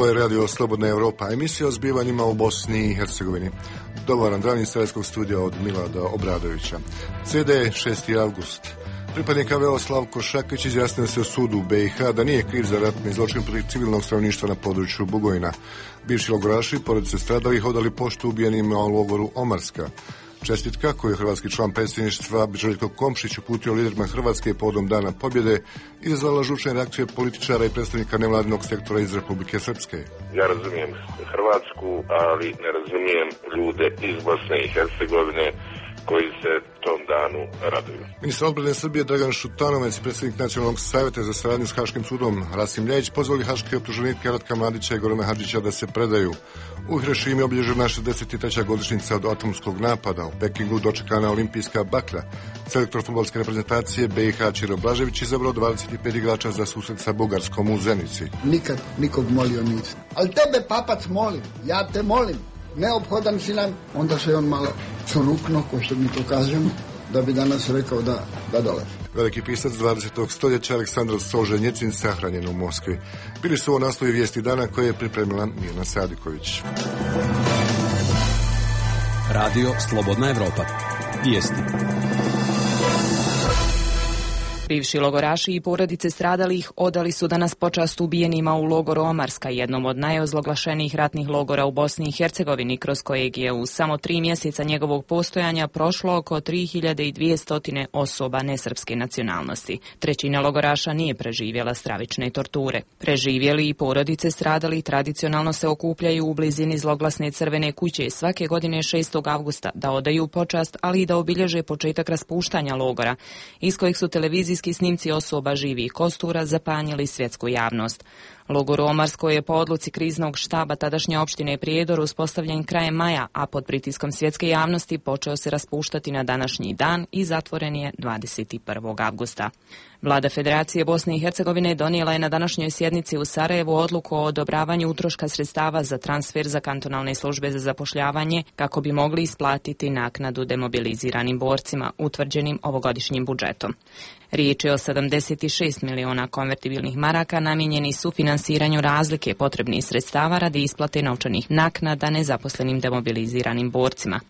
Ovo je Radio Slobodna Europa, emisija o zbivanjima u Bosni i Hercegovini. Dobar dan iz Sarajevskog studija od Milada Obradovića. CD 6. avgust. Pripadnik AVO Slavko Šakić izjasnio se u sudu u BiH da nije kriv za ratni zločin protiv civilnog stanovništva na području Bugojna. Bivši logoraši, porodice stradalih, odali poštu ubijenima u logoru Omarska. Čestitka koju je hrvatski član predsjedništva Željko Komšić uputio liderima Hrvatske povodom Dana pobjede izazvala žučne reakcije političara i predstavnika nevladinog sektora iz Republike Srpske. Ja razumijem Hrvatsku, ali ne razumijem ljude iz Bosne i Hercegovine koji se tom danu raduju. Ministar odbrane Srbije Dragan Šutanovac i predsjednik Nacionalnog savjeta za saradnju s Haškim sudom Rasim Ljajić pozvali haške optuženike Ratka Mladića i Gorana Hadžića da se predaju. U Hirošimi obilježena 63. godišnjica od atomskog napada. U Pekingu dočekana olimpijska baklja. Selektor fudbalske reprezentacije BiH Ćiro Blažević izabrao 25 igrača za susret sa Bugarskom u Zenici. Nikad nikog molio nisam. Ali tebe, papac, molim. Ja te molim. Neophodan si nam. Onda se on malo curukno, ko što mi to kažemo, da bi danas rekao da dolazi. Veliki pisac 20. stoljeća Aleksandar Solženjicin sahranjen u Moskvi. Bili su ovo naslovi vijesti dana koje je pripremila Mirna Sadiković. Radio Slobodna Evropa. Vijesti. Bivši logoraši i porodice stradalih odali su danas počast ubijenima u logoru Omarska, jednom od najozloglašenijih ratnih logora u Bosni i Hercegovini, kroz kojeg je u samo 3 mjeseca njegovog postojanja prošlo oko 3200 osoba nesrpske nacionalnosti. Trećina logoraša nije preživjela stravične torture. Preživjeli i porodice stradalih tradicionalno se okupljaju u blizini zloglasne Crvene kuće svake godine 6. avgusta da odaju počast, ali i da obilježe početak raspuštanja logora, iz kojeg su televizijski snimci osoba živih kostura zapanjili svjetsku javnost. Logor Omarsko je po odluci kriznog štaba tadašnje opštine Prijedor uspostavljen krajem maja, a pod pritiskom svjetske javnosti počeo se raspuštati na današnji dan i zatvoren je 21. avgusta. Vlada Federacije Bosne i Hercegovine donijela je na današnjoj sjednici u Sarajevu odluku o odobravanju utroška sredstava za transfer za kantonalne službe za zapošljavanje kako bi mogli isplatiti naknadu demobiliziranim borcima utvrđenim ovogodišnjim budžetom. Riječ je o 76 miliona konvertibilnih maraka namijenjeni sufinansiranju razlike potrebnih sredstava radi isplate novčanih naknada nezaposlenim demobiliziranim borcima.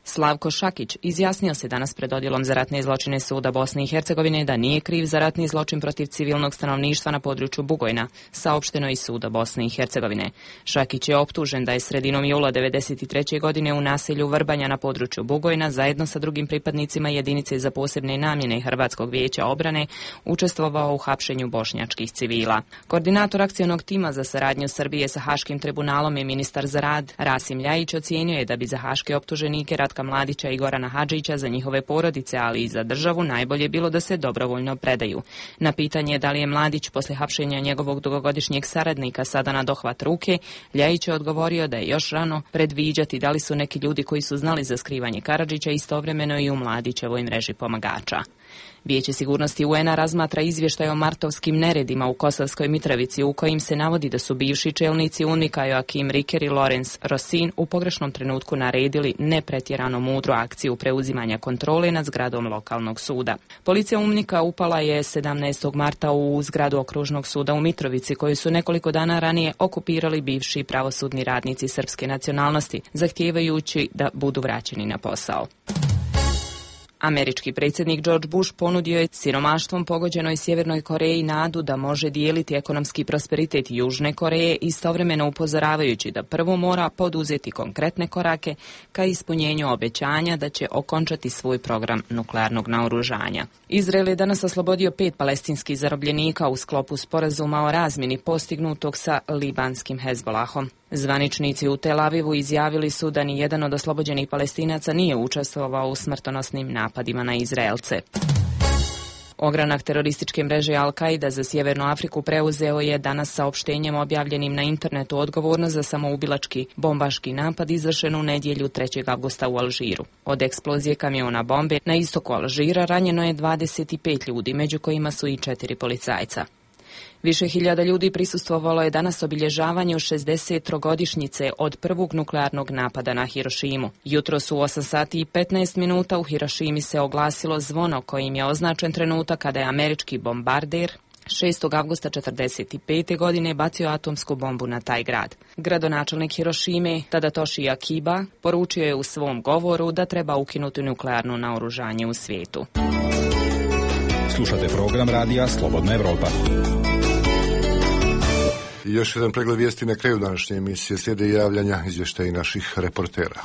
Slavko Šakić izjasnio se danas pred odjelom za ratne zločine suda Bosne i Hercegovine da nije kriv za ratni zločin protiv civilnog stanovništva na području Bugojna, saopšteno iz suda Bosne i Hercegovine. Šakić je optužen da je sredinom jula 1993. godine u naselju Vrbanja na području Bugojna zajedno sa drugim pripadnicima jedinice za posebne namjene Hrvatskog vijeća obrane učestvovao u hapšenju bošnjačkih civila. Koordinator akcionog tima za saradnju Srbije sa Haškim tribunalom i ministar za rad Rasim Ljajić ocijenio je da bi za haške optuženike Ratka Mladića i Gorana Hadžića, za njihove porodice, ali i za državu, najbolje bilo da se dobrovoljno predaju. Na pitanje da li je Mladić posle hapšenja njegovog dugogodišnjeg saradnika sada na dohvat ruke, Ljajić je odgovorio da je još rano predviđati da li su neki ljudi koji su znali za skrivanje Karadžića istovremeno i u Mladićevoj mreži pomagača. Vijeće sigurnosti UN-a razmatra izvještaj o martovskim neredima u Kosovskoj Mitrovici u kojim se navodi da su bivši čelnici UNMIK-a Joakim Riker i Lorenz Rosin u pogrešnom trenutku naredili nepretjerano mudru akciju preuzimanja kontrole nad zgradom lokalnog suda. Policija UNMIK-a upala je 17. marta u zgradu okružnog suda u Mitrovici koju su nekoliko dana ranije okupirali bivši pravosudni radnici srpske nacionalnosti, zahtijevajući da budu vraćeni na posao. Američki predsjednik George Bush ponudio je siromaštvom pogođenoj Sjevernoj Koreji nadu da može dijeliti ekonomski prosperitet Južne Koreje, istovremeno upozoravajući da prvo mora poduzeti konkretne korake ka ispunjenju obećanja da će okončati svoj program nuklearnog naoružanja. Izrael je danas oslobodio 5 palestinskih zarobljenika u sklopu sporazuma o razmjeni postignutog sa libanskim Hezbolahom. Zvaničnici u Tel Avivu izjavili su da ni jedan od oslobođenih Palestinaca nije učestvovao u smrtonosnim napadima na Izraelce. Ogranak terorističke mreže Al-Qaida za Sjevernu Afriku preuzeo je danas saopštenjem objavljenim na internetu odgovornost za samoubilački bombaški napad izvršen u nedjelju 3. avgusta u Alžiru. Od eksplozije kamiona bombe na istoku Alžira ranjeno je 25 ljudi, među kojima su i 4 policajca. Više hiljada ljudi prisustvovalo je danas obilježavanju 63-godišnjice od prvog nuklearnog napada na Hirošimu. Jutros u 8 sati i 15 minuta u Hirošimi se oglasilo zvono kojim je označen trenutak kada je američki bombarder 6. avgusta 1945. godine bacio atomsku bombu na taj grad. Gradonačelnik Hirošime, Tadatoshi Akiba, poručio je u svom govoru da treba ukinuti nuklearno naoružanje u svijetu. Slušate program radija Slobodna Evropa. I još jedan pregled vijesti na kraju današnje emisije. Slijede javljanja izvještaja naših reportera.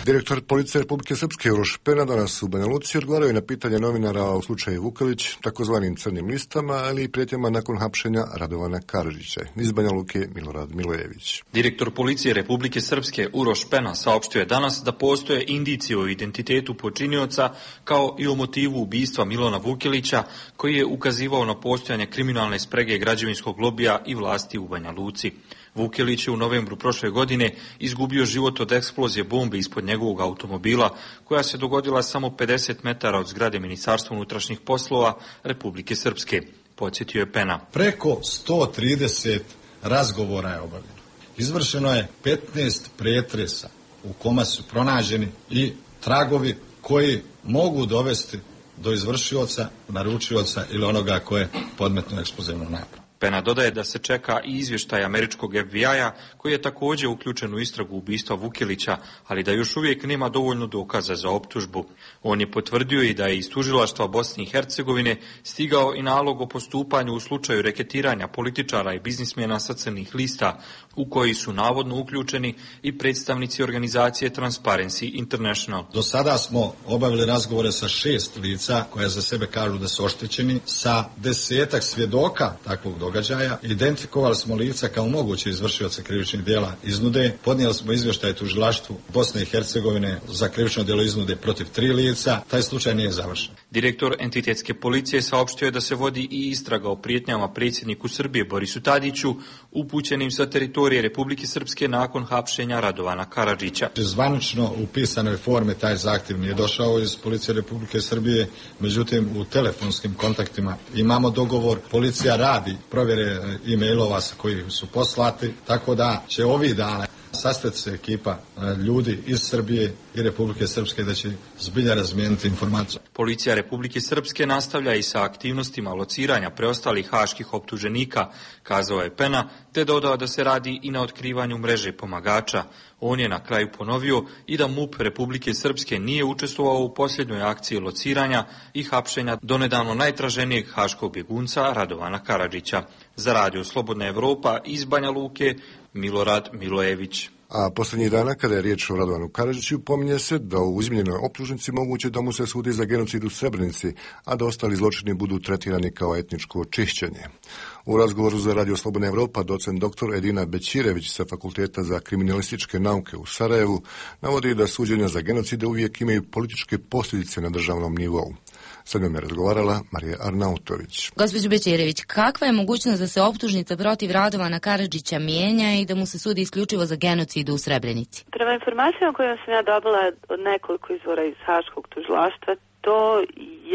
Direktor policije Republike Srpske Uroš Pena danas u Banja Luci odgovarao je na pitanje novinara u slučaju Vukelić, takozvanim crnim listama, ali i prijetnjama nakon hapšenja Radovana Karadžića. Iz Banja Luke Milorad Milojević. Direktor policije Republike Srpske Uroš Pena saopštio je danas da postoje indicije o identitetu počinioca kao i o motivu ubistva Milona Vukelića, koji je ukazivao na postojanje kriminalne sprege građevinskog lobija i vlasti u Banja Luci. Vukelić je u novembru prošle godine izgubio život od eksplozije bombe ispod njegovog automobila, koja se dogodila samo 50 metara od zgrade Ministarstva unutrašnjih poslova Republike Srpske, podsjetio je Pena. Preko 130 razgovora je obavljeno. Izvršeno je 15 pretresa u kojima su pronađeni i tragovi koji mogu dovesti do izvršioca, naručioca ili onoga ko je podmetnuo eksplozivnu napravu. Pena dodaje da se čeka i izvještaj američkog FBI-a, koji je također uključen u istragu ubistva Vukelića, ali da još uvijek nema dovoljno dokaza za optužbu. On je potvrdio i da je iz tužilaštva Bosne i Hercegovine stigao i nalog o postupanju u slučaju reketiranja političara i biznismena sa crnih lista, u koji su navodno uključeni i predstavnici organizacije Transparency International. Do sada smo obavili razgovore sa 6 lica koja za sebe kažu da su oštećeni, sa 10 svjedoka takvog događaja. Identifikovali smo lica kao moguće izvršioce krivičnih djela iznude. Podnijeli smo izvještaj tužilaštvu Bosne i Hercegovine za krivično djelo iznude protiv 3 lica. Taj slučaj nije završen. Direktor entitetske policije saopštio je da se vodi i istraga o prijetnjama predsjedniku Srbije Borisu Tadiću, upućenim sa teritorije Republike Srpske nakon hapšenja Radovana Karadžića. Zvanično u pisanoj formi taj zahtjev nije došao iz policije Republike Srbije, međutim u telefonskim kontaktima imamo dogovor. Policija radi provjere e-mailova sa koji su poslati, tako da će ovih dana sastati se ekipa ljudi iz Srbije i Republike Srpske da će zbilja razmijeniti informaciju. Policija Republike Srpske nastavlja i sa aktivnostima lociranja preostalih haških optuženika, kazao je Pena, te dodao da se radi i na otkrivanju mreže pomagača. On je na kraju ponovio i da MUP Republike Srpske nije učestvovao u posljednjoj akciji lociranja i hapšenja donedavno najtraženijeg haškog bjegunca Radovana Karadžića. Za Radio Slobodna Evropa iz Banja Luke, Milorad Milojević. A posljednjih dana, kada je riječ o Radovanu Karadžiću, pominje se da u izmijenjenoj optužnici moguće da mu se sudi za genocid u Srebrenici, a da ostali zločini budu tretirani kao etničko čišćenje. U razgovoru za Radio Slobodna Evropa docent dr. Edina Bećirević sa Fakulteta za kriminalističke nauke u Sarajevu navodi da suđenja za genocide uvijek imaju političke posljedice na državnom nivou. Sa njom je razgovarala Marija Arnautović. Gospođo Bećirević, kakva je mogućnost da se optužnica protiv Radovana Karadžića mijenja i da mu se sudi isključivo za genocid u Srebrenici? Prema informacijama koje sam ja dobila od nekoliko izvora iz Haškog tužilaštva, to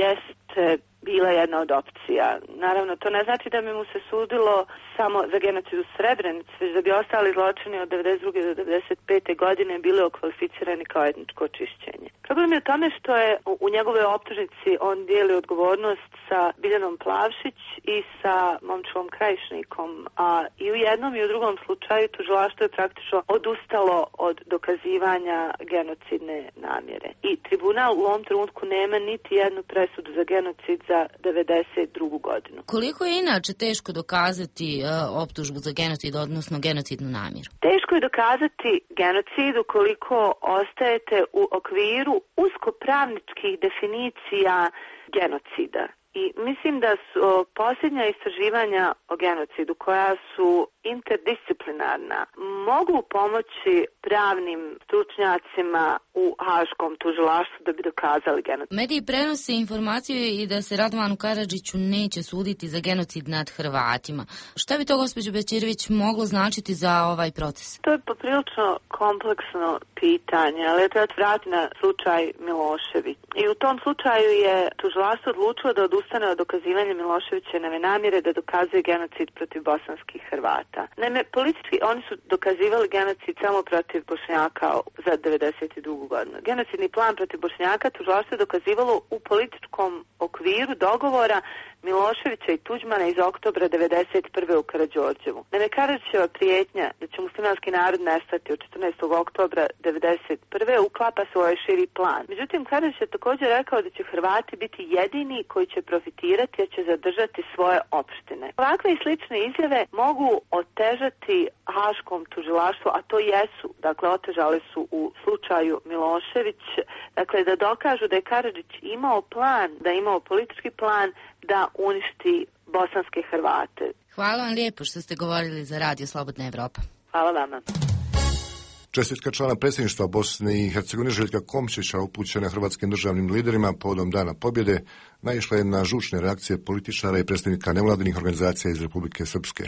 jeste bila jedna od opcija. Naravno, to ne znači da bi mu se sudilo samo za genocid u Srebrenici, već da bi ostali zločini od 92. do 95. godine bili okvalificirani kao etničko čišćenje. Problem je u tome što je u njegove optužnici on dijeli odgovornost sa Biljanom Plavšić i sa Momčilovom Krajišnikom, a i u jednom i u drugom slučaju tužilaštvo je praktično odustalo od dokazivanja genocidne namjere. I tribunal u ovom trenutku nema niti jednu presudu za genocid za 92. godinu. Koliko je inače teško dokazati optužbu za genocid, odnosno genocidnu namjeru? Teško je dokazati genocid ukoliko ostajete u okviru uskopravničkih definicija genocida. I mislim da su posljednja istraživanja o genocidu, koja su interdisciplinarna, mogu pomoći pravnim stručnjacima u Haškom tužilaštvu da bi dokazali genocid. Mediji prenose informaciju i da se Radovanu Karadžiću neće suditi za genocid nad Hrvatima. Šta bi to, gospođo Bećirević, moglo značiti za ovaj proces? To je poprilično kompleksno pitanje, ali ja treba vratiti na slučaj Milošević. I u tom slučaju je tužilaštvo odlučilo da odustane odustane od dokazivanja Miloševićeve namjere da dokazuje genocid protiv bosanskih Hrvata. Naime, politički oni su dokazivali genocid samo protiv Bošnjaka za 1992. godinu. Genocidni plan protiv Bošnjaka tužilaštvo je dokazivalo u političkom okviru dogovora Miloševića i Tuđmana iz oktobra 1991. u Karađorđevu. Naime, Karadžićeva prijetnja da će muslimanski narod nestati od 14. oktobra 1991. uklapa se u ovaj širi plan. Međutim, Karadžić je također rekao da će Hrvati biti jedini koji će profitirati, jer će zadržati svoje opštine. Ovakve i slične izjave mogu otežati haškom tužilaštvu, a to jesu, dakle, otežali su u slučaju Milošević, dakle, da dokažu da je Karadžić imao plan, da je imao politički plan da uništi bosanske Hrvate. Hvala vam lijepo što ste govorili za Radio Slobodna Evropa. Hvala vama. Čestitka člana predsjedništva Bosne i Hercegovine Željka Komšića upućena hrvatskim državnim liderima povodom Dana pobjede naišla je na žučne reakcije političara i predstavnika nevladinih organizacija iz Republike Srpske.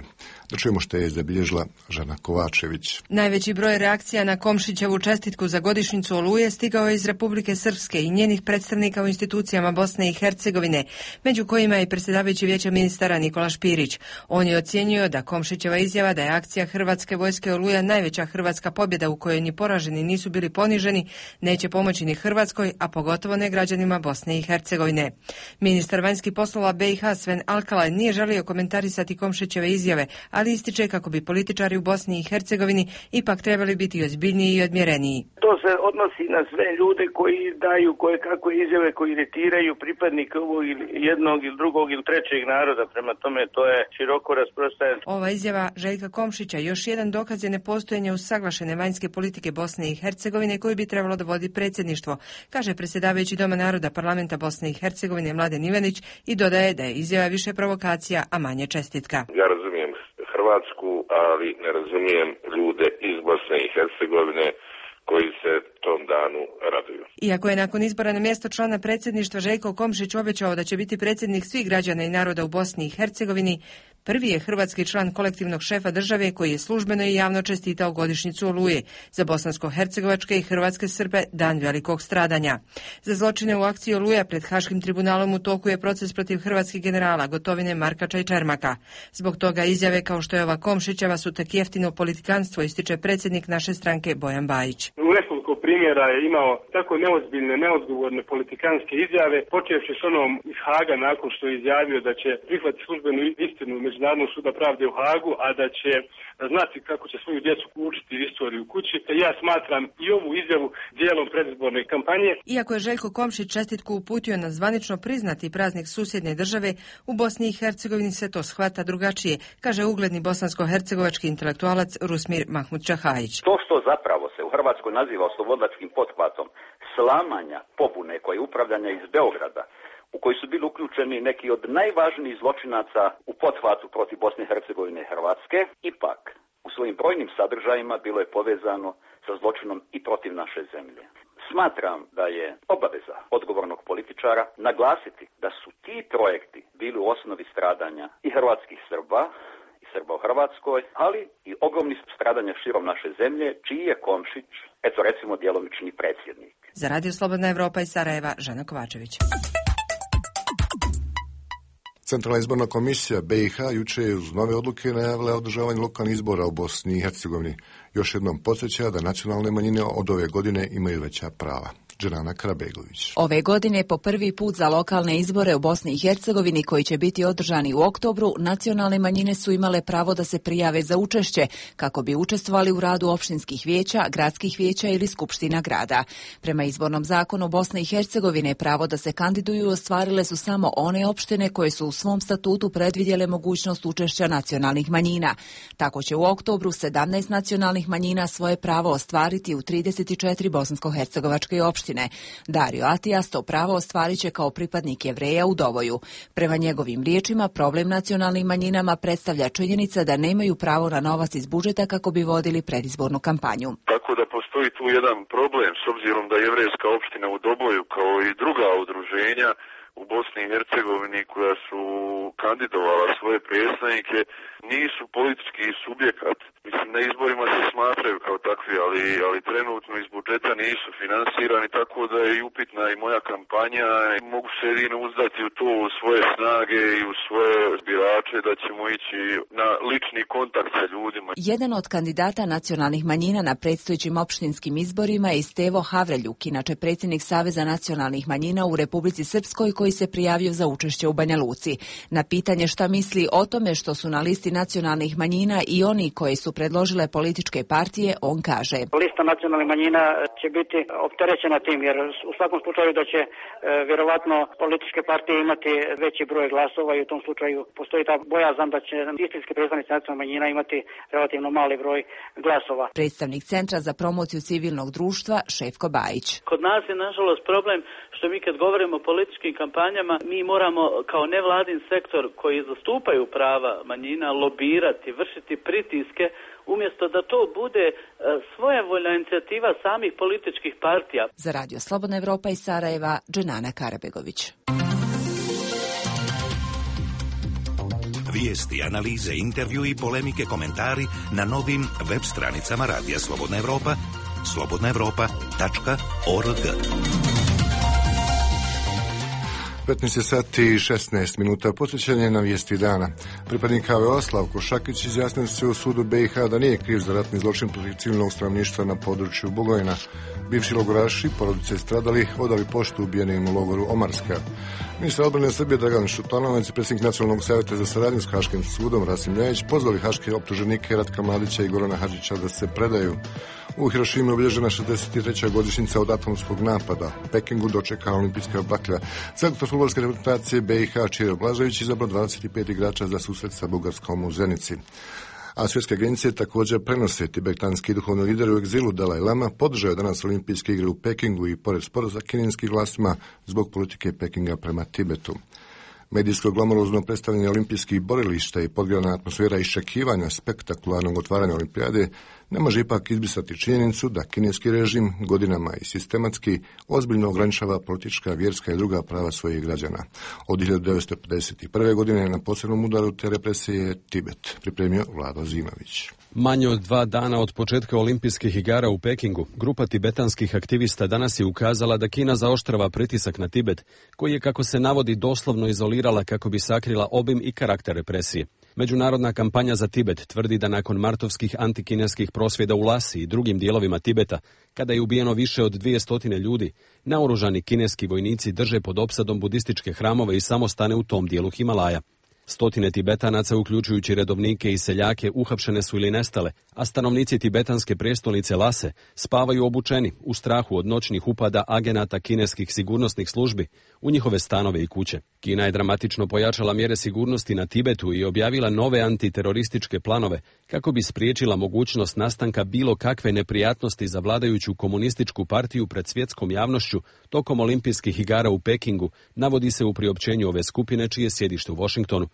Da čujemo što je zabilježila Žana Kovačević. Najveći broj reakcija na Komšićevu čestitku za godišnjicu Oluje stigao je iz Republike Srpske i njenih predstavnika u institucijama Bosne i Hercegovine, među kojima je i predsjedavajući Vijeća ministara Nikola Špirić. On je ocijenio da Komšićeva izjava da je akcija Hrvatske vojske Oluja najveća hrvatska pobjeda u kojoj ni poraženi nisu bili poniženi, neće pomoći ni Hrvatskoj, a pogotovo ne građanima Bosne i Hercegovine. Ministar vanjskih poslova BiH Sven Alkalaj nije želio komentarisati Komšićeve izjave, ali ističe kako bi političari u Bosni i Hercegovini ipak trebali biti ozbiljniji i odmjereniji. To se odnosi na sve ljude koji daju koje kakve izjave, koji iritiraju pripadnike ovog ili jednog ili drugog ili trećeg naroda. Prema tome to je široko rasprostranjeno. Ova izjava Željka Komšića još jedan dokaz je nepostojanja usaglašene vanjske politike Bosne i Hercegovine koju bi trebalo da vodi predsjedništvo, kaže predsjedavajući Doma naroda Parlamenta Bosne i Hercegovine Mladen Ivanić i dodaje da je izjava više provokacija, a manje čestitka. Ja razumijem Hrvatsku, ali ne razumijem ljude iz Bosne i Hercegovine koji se tom danu raduju. Iako je nakon izbora na mjesto člana predsjedništva Željko Komšić obećao da će biti predsjednik svih građana i naroda u Bosni i Hercegovini, prvi je hrvatski član kolektivnog šefa države koji je službeno i javno čestitao godišnjicu Oluje, za bosansko-hercegovačke i hrvatske Srbe dan velikog stradanja. Za zločine u akciji Oluja pred Haškim tribunalom u toku je proces protiv hrvatskih generala Gotovine, Markača i Čermaka. Zbog toga izjave kao što je ova Komšićeva su tek jeftino politikanstvo, ističe predsjednik naše stranke Bojan Bajić. U nekoliko primjera je imao tako neozbiljne, neodgovorne politikanske izjave, počevši s onom iz Haga nakon što je izjavio da će prihvatiti službenu istinu Međunarodnog suda pravde u Hagu, a da će znati kako će svoju djecu učiti istoriju kući. Ja smatram i ovu izjavu dijelom predizborne kampanje. Iako je Željko Komšić čestitku uputio na zvanično priznati praznik susjedne države, u Bosni i Hercegovini se to shvata drugačije, kaže ugledni bosansko-hercegovački intelektualac Rusmir Mahmud Čahajić. To što zapravo se u Hrvatskoj naziva oslobodilačkim pothvatom slamanja, pobune koje upravljanja iz Beograda, u koji su bili uključeni neki od najvažnijih zločinaca u pothvatu protiv Bosne i Hercegovine i Hrvatske, ipak u svojim brojnim sadržajima bilo je povezano sa zločinom i protiv naše zemlje. Smatram da je obaveza odgovornog političara naglasiti da su ti projekti bili u osnovi stradanja i hrvatskih Srba, i Srba u Hrvatskoj, ali i ogromni stradanja širom naše zemlje, čiji je Komšić, eto recimo, djelomični predsjednik. Za Radio Slobodna Evropa iz Sarajeva, Žana Kovačević. Centralna izborna komisija BiH juče je uz nove odluke najavila održavanje lokalnih izbora u Bosni i Hercegovini. Još jednom podsjeća da nacionalne manjine od ove godine imaju veća prava. Dženana Karabegović. Ove godine po prvi put za lokalne izbore u Bosni i Hercegovini koji će biti održani u oktobru, nacionalne manjine su imale pravo da se prijave za učešće kako bi učestvovali u radu opštinskih vijeća, gradskih vijeća ili skupština grada. Prema izbornom zakonu Bosne i Hercegovine pravo da se kandiduju ostvarile su samo one opštine koje su u svom statutu predvidjele mogućnost učešća nacionalnih manjina. Tako će u oktobru 17 nacionalnih manjina svoje pravo ostvariti u 34 bosansko-hercegovačke opštine. Dario Atijas to pravo ostvarit će kao pripadnik Jevreja u Dovoju. Prema njegovim riječima, problem nacionalnim manjinama predstavlja činjenica da nemaju pravo na novac iz budžeta kako bi vodili predizbornu kampanju. Tako da postoji tu jedan problem s obzirom da jevrejska opština u Doboju kao i druga udruženja u Bosni i Hercegovini koja su kandidovala svoje predstavnike nisu politički subjekat. Mislim na izborima se smatraju kao takvi, ali trenutno iz budžeta nisu finansirani, tako da je upitna i moja kampanja. Mogu se jedino uzdati u to, u svoje snage i u svoje birače, da ćemo ići na lični kontakt sa ljudima. Jedan od kandidata nacionalnih manjina na predstojećim opštinskim izborima je Stevo Havreljuk, inače predsjednik Saveza nacionalnih manjina u Republici Srpskoj, koji se prijavio za učešće u Banja Luci. Na pitanje šta misli o tome što su na listi nacionalnih manjina i oni koji su predložile političke partije, on kaže: Lista nacionalnih manjina će biti opterećena tim, jer u svakom slučaju da će vjerovatno političke partije imati veći broj glasova i u tom slučaju postoji ta bojazan da će istinski predstavnici nacionalnih manjina imati relativno mali broj glasova. Predstavnik Centra za promociju civilnog društva Šefko Bajić: Kod nas je nažalost problem što mi kad govorimo o političkim kampanjama, mi moramo kao nevladin sektor koji zastupaju prava manjina lobirati, vršiti pritiske, umjesto da to bude svojevoljna inicijativa samih političkih partija. Za Radio Slobodna Evropa iz Sarajeva, Dženana Karabegović. Vijesti, analize, intervju i polemike, komentari na novim web stranicama Radija Slobodna Evropa, slobodnaevropa.org. 15 sati i 16 minuta. Posjećanje na vijesti dana. Pripadnik HVO Slavko Šakić izjasnio se u sudu BiH da nije kriv za ratni zločin protiv civilnog stanovništva na području Bugojna. Bivši logoraši, porodice stradalih, odali poštu ubijenim u logoru Omarska. Ministar obrane Srbije Dragan Šutanovac i predsjednik Nacionalnog savjeta za saradnju s Haškim sudom Rasim Ljajić pozvali haške optuženike Ratka Mladića i Gorana Hadžića da se predaju. U Hirošimi obilježena 63. godišnjica od atomskog napada. U Pekingu dočeka olimpijska baklja. Selektor fudbalske reprezentacije BiH Čiro Blažević izabrao 25 igrača za susret sa Bugarskom u Zenici. A svjetske agencije također prenose tibetanski duhovni lider u egzilu Dalaj Lama podržao je danas olimpijske igre u Pekingu i pored spora za kineskim vlastima zbog politike Pekinga prema Tibetu. Medijsko glamurozno predstavljanje olimpijskih borilišta i podgrijana atmosfera iščekivanja spektakularnog otvaranja olimpijade ne može ipak izbrisati činjenicu da kineski režim godinama i sistematski ozbiljno ograničava politička, vjerska i druga prava svojih građana. Od 1951. godine na posebnom udaru te represije je Tibet, pripremio Vlado Zimović. Manje od 2 dana od početka olimpijskih igara u Pekingu, grupa tibetanskih aktivista danas je ukazala da Kina zaoštrava pritisak na Tibet, koji je, kako se navodi, doslovno izolirala kako bi sakrila obim i karakter represije. Međunarodna kampanja za Tibet tvrdi da nakon martovskih antikineskih prosvjeda u Lasi i drugim dijelovima Tibeta, kada je ubijeno više od 200 ljudi, naoružani kineski vojnici drže pod opsadom budističke hramove i samostane u tom dijelu Himalaja. Stotine Tibetanaca, uključujući redovnike i seljake, uhapšene su ili nestale, a stanovnici tibetanske prijestolnice Lase spavaju obučeni u strahu od noćnih upada agenata kineskih sigurnosnih službi u njihove stanove i kuće. Kina je dramatično pojačala mjere sigurnosti na Tibetu i objavila nove antiterorističke planove kako bi spriječila mogućnost nastanka bilo kakve neprijatnosti za vladajuću komunističku partiju pred svjetskom javnošću tokom olimpijskih igara u Pekingu, navodi se u priopćenju ove skupine čije sjedište u Washingtonu.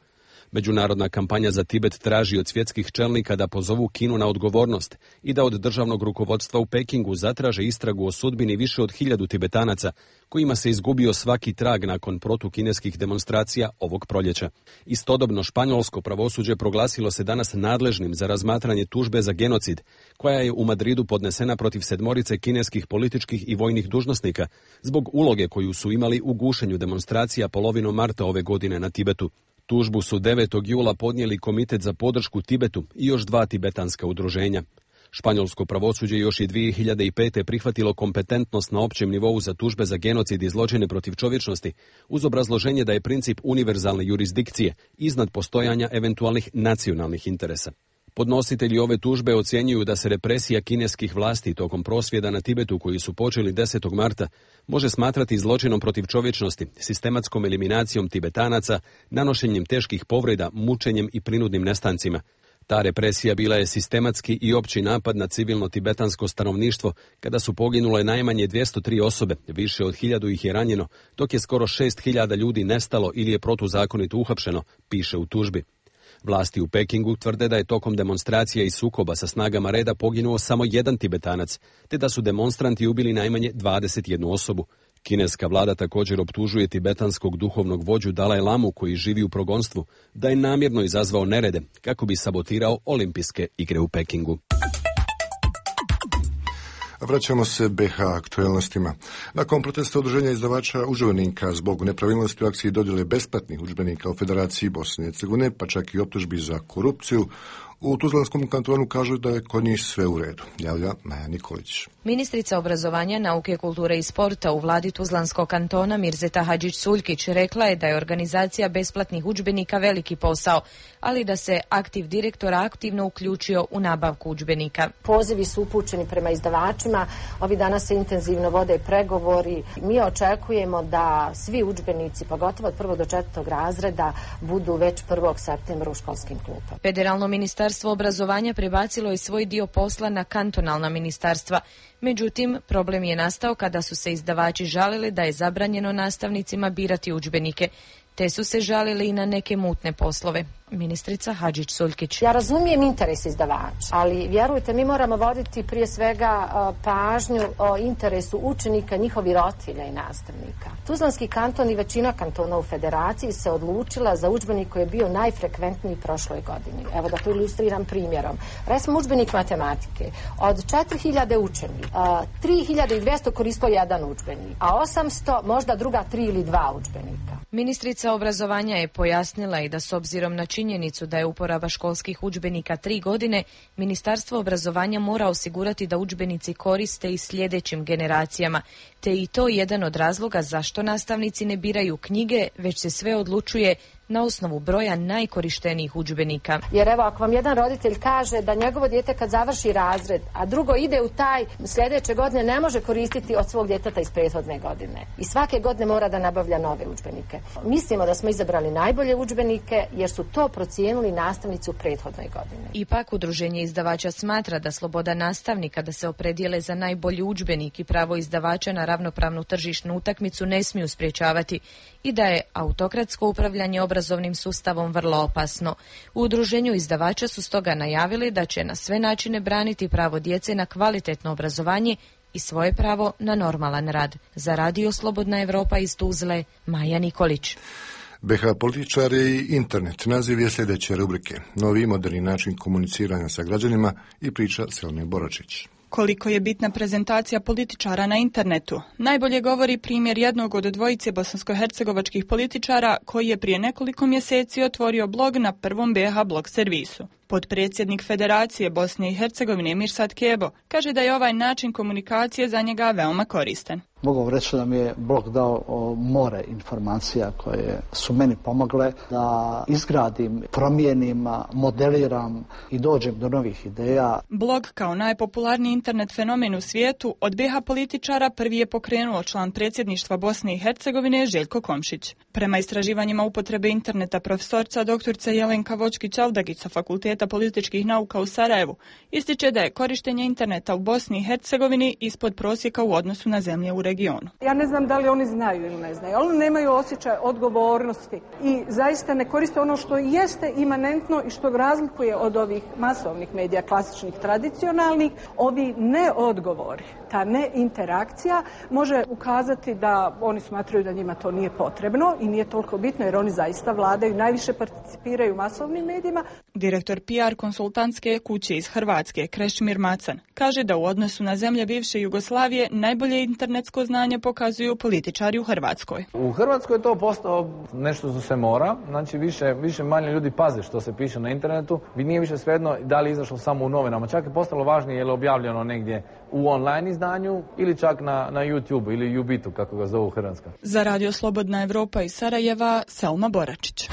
Međunarodna kampanja za Tibet traži od svjetskih čelnika da pozovu Kinu na odgovornost i da od državnog rukovodstva u Pekingu zatraže istragu o sudbini više od 1000 Tibetanaca, kojima se izgubio svaki trag nakon protukineskih demonstracija ovog proljeća. Istodobno španjolsko pravosuđe proglasilo se danas nadležnim za razmatranje tužbe za genocid, koja je u Madridu podnesena protiv 7 kineskih političkih i vojnih dužnosnika zbog uloge koju su imali u gušenju demonstracija polovinom marta ove godine na Tibetu. Tužbu su 9. jula podnijeli Komitet za podršku Tibetu i još 2 tibetanska udruženja. Španjolsko pravosuđe još i 2005. prihvatilo kompetentnost na općem nivou za tužbe za genocid i zločine protiv čovječnosti, uz obrazloženje da je princip univerzalne jurisdikcije iznad postojanja eventualnih nacionalnih interesa. Podnositelji ove tužbe ocjenjuju da se represija kineskih vlasti tokom prosvjeda na Tibetu koji su počeli 10. marta može smatrati zločinom protiv čovječnosti, sistematskom eliminacijom Tibetanaca, nanošenjem teških povreda, mučenjem i prinudnim nestancima. Ta represija bila je sistematski i opći napad na civilno tibetansko stanovništvo kada su poginule najmanje 203 osobe, više od 1000 ih je ranjeno, dok je skoro 6000 ljudi nestalo ili je protuzakonito uhapšeno, piše u tužbi. Vlasti u Pekingu tvrde da je tokom demonstracija i sukoba sa snagama reda poginuo samo 1 Tibetanac, te da su demonstranti ubili najmanje 21 osobu. Kineska vlada također optužuje tibetanskog duhovnog vođu Dalaj Lamu, koji živi u progonstvu, da je namjerno izazvao nerede kako bi sabotirao olimpijske igre u Pekingu. Vraćamo se BH aktualnostima. Nakon protesta udruženja izdavača udžbenika zbog nepravilnosti u akciji dodjele besplatnih udžbenika u Federaciji Bosne i Hercegovine, pa čak i optužbi za korupciju, u Tuzlanskom kantonu kažu da je kod njih sve u redu. Javlja Maja Nikolić. Ministrica obrazovanja, nauke, kulture i sporta u vladi Tuzlanskog kantona Mirzeta Hadžić-Suljkić rekla je da je organizacija besplatnih udžbenika veliki posao, ali da se aktiv direktora aktivno uključio u nabavku udžbenika. Pozivi su upućeni prema izdavačima, ovi danas se intenzivno vode pregovori. Mi očekujemo da svi udžbenici, pogotovo od 1. do 4. razreda, budu već 1. septembra u školskim klupama. Federalno ministarstvo obrazovanja prebacilo je svoj dio posla na kantonalna ministarstva. Međutim, problem je nastao kada su se izdavači žalili da je zabranjeno nastavnicima birati udžbenike, te su se žalili i na neke mutne poslove. Ministrica Hadžić-Suljkić. Ja razumijem interes izdavača, ali vjerujte, mi moramo voditi prije svega pažnju o interesu učenika, njihovi roditelja i nastavnika. Tuzlanski kanton i većina kantona u federaciji se odlučila za udžbenik koji je bio najfrekventniji prošloj godini. Evo da to ilustriram primjerom. Recimo udžbenik matematike. Od 4000 učenika, 3200 koristilo jedan udžbenik, a 800 možda druga 3 ili 2 udžbenika. Ministrica obrazovanja je pojasnila i da s obzirom na činjenicu da je uporaba školskih udžbenika 3 godine, Ministarstvo obrazovanja mora osigurati da udžbenici koriste i sljedećim generacijama, te i to jedan od razloga zašto nastavnici ne biraju knjige, već se sve odlučuje na osnovu broja najkorištenijih udžbenika. Jer evo, ako vam jedan roditelj kaže da njegovo dijete kad završi razred, a drugo ide u taj sljedeće godine, ne može koristiti od svog djeteta iz prethodne godine. I svake godine mora da nabavlja nove udžbenike. Mislimo da smo izabrali najbolje udžbenike jer su to procijenili nastavnici u prethodnoj godini. Ipak, udruženje izdavača smatra da sloboda nastavnika da se opredijele za najbolji udžbenik i pravo izdavača na ravnopravnu tržišnu utakmicu ne smiju sprječavati i da je autokratsko upravljanje obrazovnim sustavom vrlo opasno. U udruženju izdavača su stoga najavili da će na sve načine braniti pravo djece na kvalitetno obrazovanje i svoje pravo na normalan rad. Za Radio Slobodna Evropa iz Tuzle, Maja Nikolić. BH političari i internet. Naziv je sljedeće rubrike. Novi i moderni način komuniciranja sa građanima i priča Selme Boračić. Koliko je bitna prezentacija političara na internetu, najbolje govori primjer jednog od dvojice bosansko-hercegovačkih političara koji je prije nekoliko mjeseci otvorio blog na prvom BH blog servisu. Potpredsjednik Federacije Bosne i Hercegovine Mirsad Kebo kaže da je ovaj način komunikacije za njega veoma koristan. Mogu reći da mi je blog dao more informacija koje su meni pomogle da izgradim, promijenim, modeliram i dođem do novih ideja. Blog kao najpopularniji internet fenomen u svijetu od BH političara prvi je pokrenuo član predsjedništva Bosne i Hercegovine Željko Komšić. Prema istraživanjima upotrebe interneta profesorca doktorica Jelenka Vočkić-Aldagić sa Fakulteta političkih nauka u Sarajevu ističe da je korištenje interneta u Bosni i Hercegovini ispod prosjeka u odnosu na zemlje u regionu. Ja ne znam da li oni znaju ili ne znaju. Oni nemaju osjećaj odgovornosti i zaista ne koriste ono što jeste imanentno i što razlikuje od ovih masovnih medija, klasičnih, tradicionalnih. Ovi neodgovori, ta neinterakcija može ukazati da oni smatraju da njima to nije potrebno i nije toliko bitno jer oni zaista vladaju, najviše participiraju u masovnim medijima. Direktor PR konsultantske kuće iz Hrvatske, Krešimir Macan, kaže da u odnosu na zemlje bivše Jugoslavije najbolje internetsko znanje pokazuju političari u Hrvatskoj. U Hrvatskoj je to postao nešto što se mora, znači više manje ljudi paze što se piše na internetu, nije više svejedno da li je izašlo samo u novinama, čak je postalo važnije je li objavljeno negdje u online izdanju ili čak na YouTube ili Ubitu, kako ga zovu Hrvatska. Za Radio Slobodna Evropa iz Sarajeva, Selma Boračić.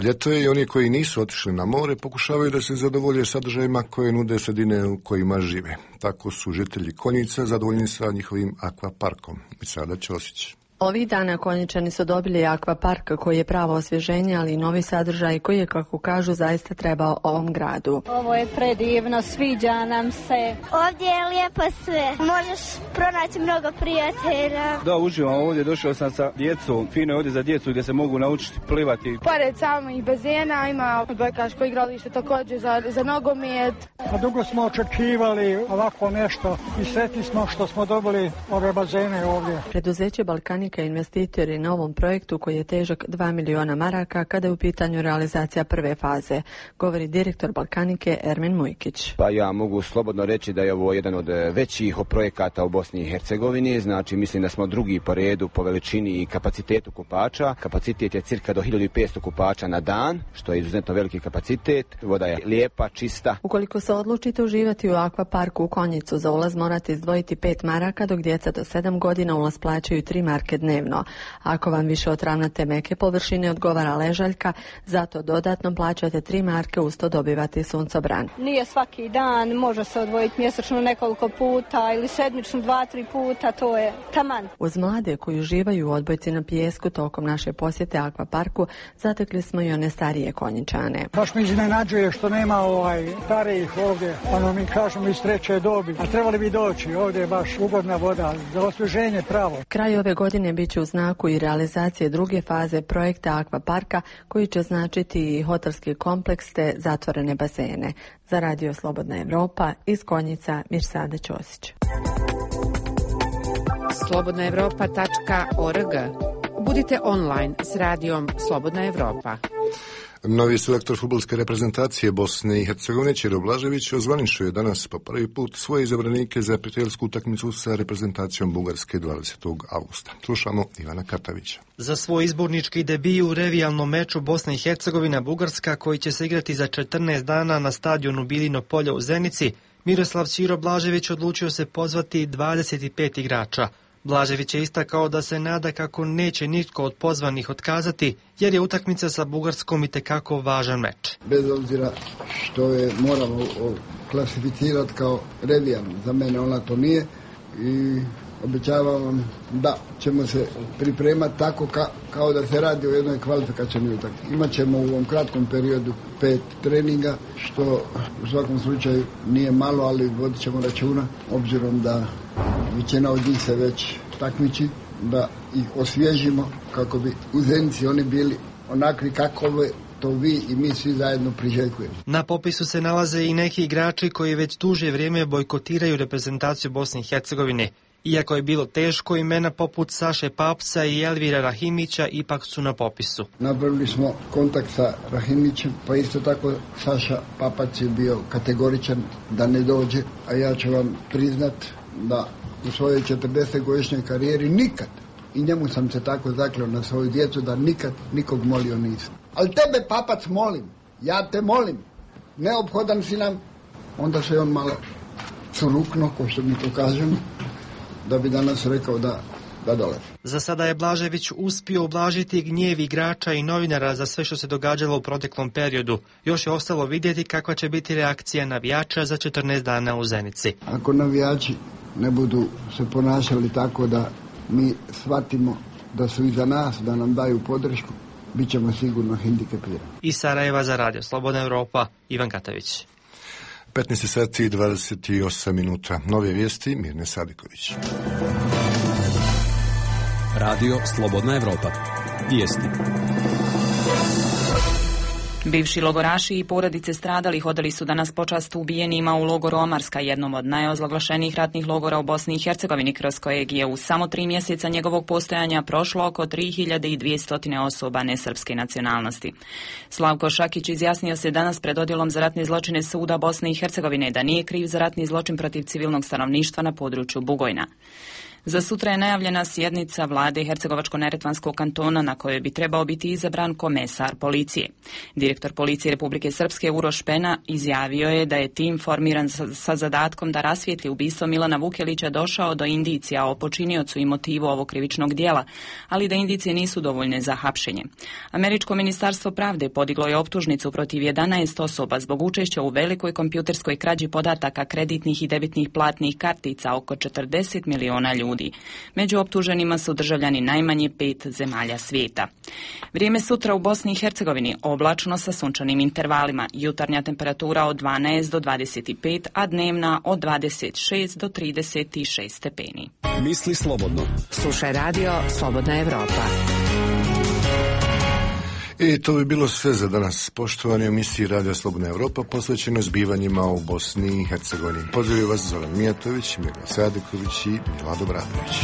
Ljeto je i oni koji nisu otišli na more pokušavaju da se zadovolje sadržajima koje nude sredine u kojima žive. Tako su žitelji Konjica zadovoljni sa njihovim akvaparkom. I sada Ćosić. Ovih dana Konjičani su dobili akvapark koji je pravo osvježenje, ali i novi sadržaj koji je, kako kažu, zaista trebao ovom gradu. Ovo je predivno, sviđa nam se. Ovdje je lijepo sve. Možeš pronaći mnogo prijatelja. Da, uživam ovdje, došao sam sa djecom. Fino je ovdje za djecu gdje se mogu naučiti plivati. Pored samih bazena ima odbojkaško igralište također za nogomet. Dugo smo očekivali ovako nešto i sretni smo što smo dobili ove bazene ovdje. Preduzeće Balkanika investitori na ovom projektu koji je težak 2 miliona maraka kada je u pitanju realizacija prve faze, govori direktor Balkanike Ermin Mujkić. Pa ja mogu slobodno reći da je ovo jedan od većih projekata u Bosni i Hercegovini, znači mislim da smo drugi po redu po veličini i kapacitetu kupača. Kapacitet je cirka do 1500 kupača na dan, što je izuzetno veliki kapacitet. Voda je lijepa, čista. Ukoliko se odlučite uživati u akvaparku u Konjicu, za ulaz morate izdvojiti 5 maraka, dok djeca do 7 godina ulaz plaćaju 3 marke dnevno. Ako vam više od ravnate meke površine odgovara ležaljka, zato dodatno plaćate 3 marke, uz to dobivate suncobran. Nije svaki dan, može se odvojiti mjesečno nekoliko puta ili sedmično 2-3 puta, to je taman. Uz mlade koji uživaju u odbojci na pijesku tokom naše posjete akvaparku, zatekli smo i one starije Konjičane. Baš mi iznenađuje što nema starijih ovdje, mi kažemo iz treće dobi, a trebali bi doći, ovdje je baš ugodna voda, za osvježenje pravo. Kraj ove godine bit će u znaku i realizacije druge faze projekta akvaparka, koji će značiti i hotelski kompleks te zatvorene bazene. Za Radio Slobodna Evropa, iz Konjica, Mirsada Ćosić. slobodnaevropa.org. Budite online s radijom Slobodna Evropa. Novi selektor fudbalske reprezentacije Bosne i Hercegovine Ćiro Blažević ozvaničio je danas po prvi put svoje izabranike za prijateljsku utakmicu sa reprezentacijom Bugarske 20. augusta. Slušamo Ivana Katavića. Za svoj izbornički debi u revijalnom meču Bosna i Hercegovina Bugarska, koji će se igrati za 14 dana na stadionu Bilino polje u Zenici, Miroslav Ćiro Blažević odlučio se pozvati 25 igrača. Blažević je istakao da se nada kako neće nitko od pozvanih otkazati, jer je utakmica sa Bugarskom itekako važan meč. Bez obzira što je moramo klasificirati kao revijalno, za mene ona to nije i obećavam vam da ćemo se pripremati tako kao da se radi o jednoj kvalifikacijnoj utakmici. Imat ćemo u ovom kratkom periodu 5 treninga, što u svakom slučaju nije malo, ali vodit ćemo računa, obzirom da većina od njih se već takmiči, da ih osvježimo kako bi u Zenici oni bili onakvi kako to vi i mi svi zajedno priželjkujemo. Na popisu se nalaze i neki igrači koji već duže vrijeme bojkotiraju reprezentaciju Bosne i Hercegovine. Iako je bilo teško, imena poput Saše Papca i Elvira Rahimića ipak su na popisu. Napravili smo kontakt sa Rahimićem, pa isto tako Saša Papac je bio kategoričan da ne dođe, a ja ću vam priznat da u svojoj 40-godišnjoj karijeri nikad, i njemu sam se tako zakleo na svoju djecu, da nikad nikog molio nisam. Ali tebe, Papac, molim, ja te molim, neophodan si nam. Onda se on malo curukno, ko što mi to kažemo, da bi danas rekao da dolazi. Za sada je Blažević uspio ublažiti gnjev igrača i novinara za sve što se događalo u proteklom periodu. Još je ostalo vidjeti kakva će biti reakcija navijača za 14 dana u Zenici. Ako navijači ne budu se ponašali tako da mi shvatimo da su iza nas, da nam daju podršku, bit ćemo sigurno hendikepirani. Iz Sarajeva za Radio Slobodna Evropa, Ivan Katavić. 15 sati i 28 minuta. Nove vijesti, Mirne Sadiković. Radio Slobodna Evropa. Vijesti. Bivši logoraši i porodice stradalih odali su danas počast ubijenima u logoru Omarska, jednom od najozloglašenijih ratnih logora u Bosni i Hercegovini, kroz kojeg je u samo 3 mjeseca njegovog postojanja prošlo oko 3200 osoba nesrpske nacionalnosti. Slavko Šakić izjasnio se danas pred odjelom za ratne zločine Suda Bosne i Hercegovine da nije kriv za ratni zločin protiv civilnog stanovništva na području Bugojna. Za sutra je najavljena sjednica vlade Hercegovačko-neretvanskog kantona na kojoj bi trebao biti izabran komesar policije. Direktor policije Republike Srpske Uroš Pena izjavio je da je tim formiran sa zadatkom da rasvijetli ubistvo Milana Vukelića došao do indicija o počiniocu i motivu ovog krivičnog dijela, ali da indicije nisu dovoljne za hapšenje. Američko ministarstvo pravde podiglo je optužnicu protiv 11 osoba zbog učešća u velikoj kompjuterskoj krađi podataka kreditnih i debitnih platnih kartica oko 40 miliona ljudi. ljudi. Među optuženima su državljani najmanje 5 zemalja svijeta. Vrijeme sutra u Bosni i Hercegovini oblačno sa sunčanim intervalima. Jutarnja temperatura od 12 do 25, a dnevna od 26 do 36 stepeni. Misli slobodno. Slušaj radio Slobodna Evropa. I to bi bilo sve za danas. Poštovani, emisiji Radija Slobodna Evropa posvećeno zbivanjima u Bosni i Hercegovini. Pozdravljaju vas Zoran Mijatović, Mirna Sadiković i Milado Bradović.